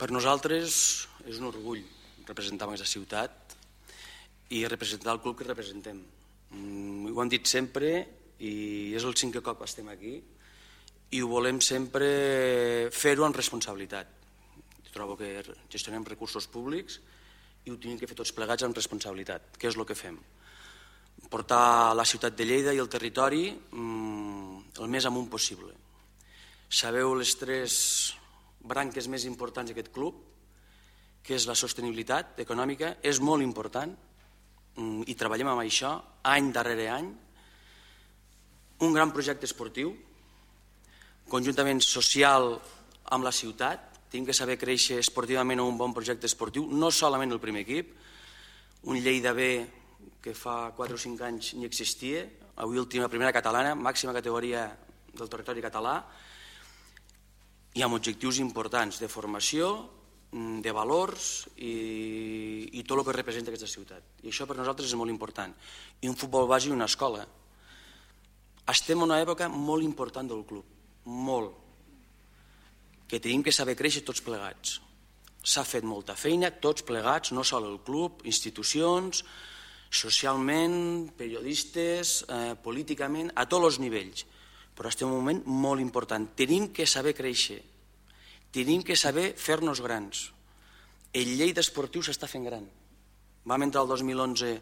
Per nosaltres és un orgull representar aquesta ciutat i representar el club que representem. Ho hem dit sempre i és el 5è cop que estem aquí i ho volem sempre fer-ho amb responsabilitat. Trobo que gestionem recursos públics i ho tenim que fer tots plegats amb responsabilitat, que és el que fem. Portar la ciutat de Lleida i el territori el més amunt possible. Sabeu les 3 branques més importants d'aquest club, que és la sostenibilitat econòmica, és molt important i treballem amb això any darrere any. Un gran projecte esportiu, conjuntament social amb la ciutat, tenim que saber créixer esportivament un bon projecte esportiu, no solament el primer equip, un Lleida B que fa 4 o 5 anys ni existia, avui última primera catalana, màxima categoria del territori català, i amb objectius importants de formació, de valors i tot el que representa aquesta ciutat. I això per nosaltres és molt important. I un futbol base i una escola. Estem en una època molt important del club, molt, que tenim que saber créixer tots plegats. S'ha fet molta feina, tots plegats, no sol el club, institucions, socialment, periodistes, políticament, a tots els nivells. Però estem en un moment molt important. Tenim que saber créixer, tenim que saber fer-nos grans. El Lleida esportiu s'està fent gran. Vam entrar el 2011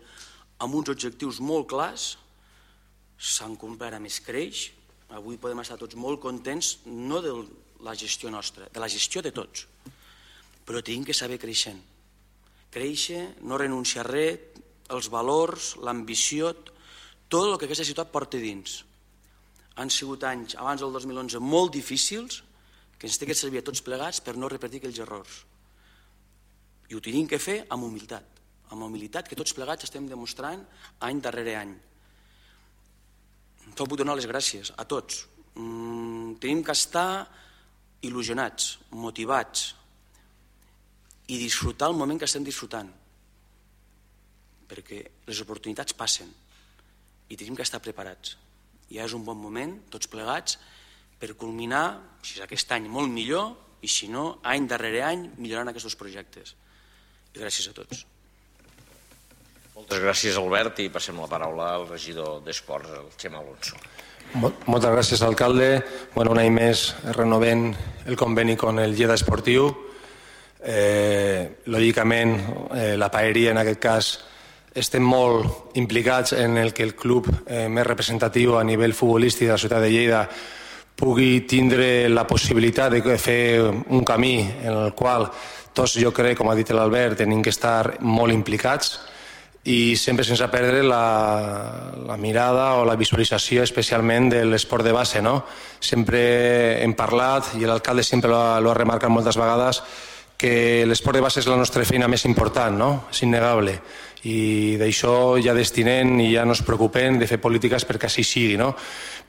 amb uns objectius molt clars, s'han complert a més creix, avui podem estar tots molt contents, no de la gestió nostra, de la gestió de tots, però tenim que saber creixent. Créixer, no renunciar a res, els valors, l'ambició, tot el que aquesta ciutat porta dins. Han sigut anys, abans del 2011, molt difícils, que ens té que servir a tots plegats per no repetir aquells errors. I ho tenim que fer amb humilitat que tots plegats estem demostrant any darrere any. Tot vull donar les gràcies a tots. Tenim que estar il·lusionats, motivats i disfrutar el moment que estem disfrutant, perquè les oportunitats passen i tenim que estar preparats. Ja és un bon moment, tots plegats, per culminar, si és aquest any, molt millor, i si no, any darrere any, millorant aquests projectes. I gràcies a tots. Moltes gràcies, Albert, i passem la paraula al regidor d'Esports, el Xema Alonso. Moltes gràcies, alcalde. Un any més renovem el conveni amb el Lleida Esportiu. Lògicament, la paeria, en aquest cas, estem molt implicats en el que el club més representatiu a nivell futbolístic de la ciutat de Lleida pugui tindre la possibilitat de fer un camí en el qual tots, jo crec, com ha dit l'Albert, tenim que estar molt implicats i sempre sense perdre la mirada o la visualització especialment de l'esport de base. Sempre hem parlat, i l'alcalde sempre l'ha remarcat moltes vegades, que l'esport de base és la nostra feina més important, és innegable. I d'això ja destinem i ja no ens preocupem de fer polítiques perquè així sigui.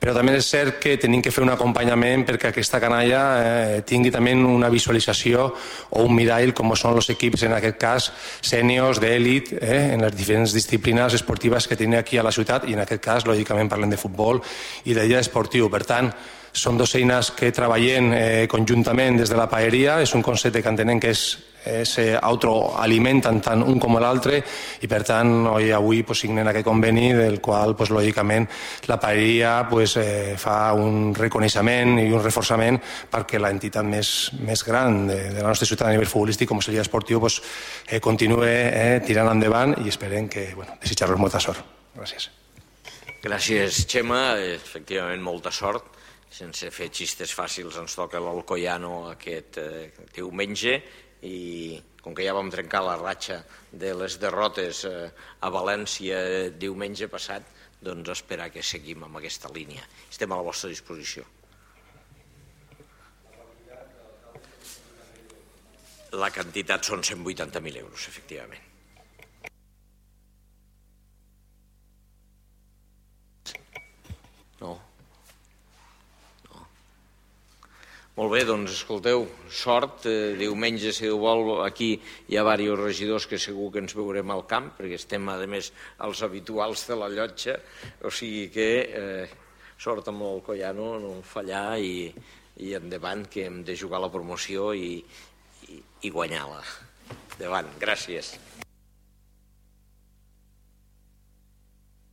Però també és cert que tenim que fer un acompanyament perquè aquesta canalla tingui també una visualització o un mirall com són els equips, en aquest cas, sèniors, d'èlit, en les diferents disciplines esportives que tenim aquí a la ciutat i en aquest cas, lògicament, parlem de futbol i de Lleida Esportiu. Per tant, són dues eines que treballem conjuntament des de la paeria. És un concepte que entenem que s'autoalimenten tant un com l'altre i per tant avui signem aquest conveni del qual lògicament la paeria fa un reconeixement i un reforçament perquè l'entitat més gran de la nostra ciutat a nivell futbolístic com és el Lleida Esportiu continuï tirant endavant i esperem que desitjar-los molta sort. Gràcies. Gràcies, Xema. Efectivament, molta sort. Sense fer xistes fàcils ens toca l'Alcoyano aquest diumenge i com que ja vam trencar la ratxa de les derrotes a València diumenge passat, doncs esperar que seguim amb aquesta línia. Estem a la vostra disposició. La quantitat són 180.000 euros, efectivament. No. Molt bé, doncs escolteu, sort. Diumenge, si Déu vol, aquí hi ha diversos regidors que segur que ens veurem al camp, perquè estem, a més, els habituals de la llotja, o sigui que sort amb l'Alcoyano, no fallar i endavant, que hem de jugar la promoció i i guanyar-la. Endavant, gràcies.